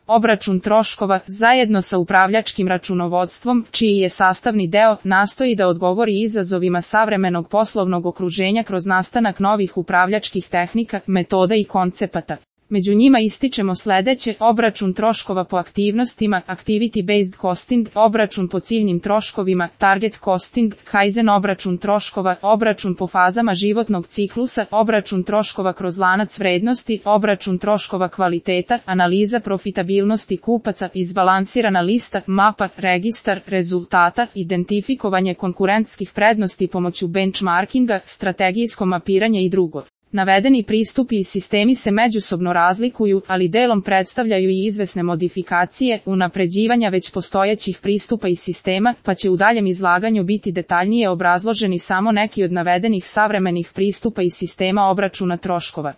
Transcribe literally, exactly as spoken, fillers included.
Obračun troškova, zajedno sa upravljačkim računovodstvom, čiji je sastavni deo, nastoji da odgovori izazovima savremenog poslovnog okruženja kroz nastanak novih upravljačkih tehnika, metoda i koncepata. Među njima ističemo sledeće: obračun troškova po aktivnostima, activity-based costing, obračun po ciljnim troškovima, target costing, kaizen obračun troškova, obračun po fazama životnog ciklusa, obračun troškova kroz lanac vrednosti, obračun troškova kvaliteta, analiza profitabilnosti kupaca, izbalansirana lista, mapa, registar rezultata, identifikovanje konkurentskih prednosti pomoću benchmarkinga, strategijsko mapiranje i drugo. Navedeni pristupi i sistemi se međusobno razlikuju, ali delom predstavljaju i izvesne modifikacije, unapređivanja već postojećih pristupa i sistema, pa će u daljem izlaganju biti detaljnije obrazloženi samo neki od navedenih savremenih pristupa i sistema obračuna troškova.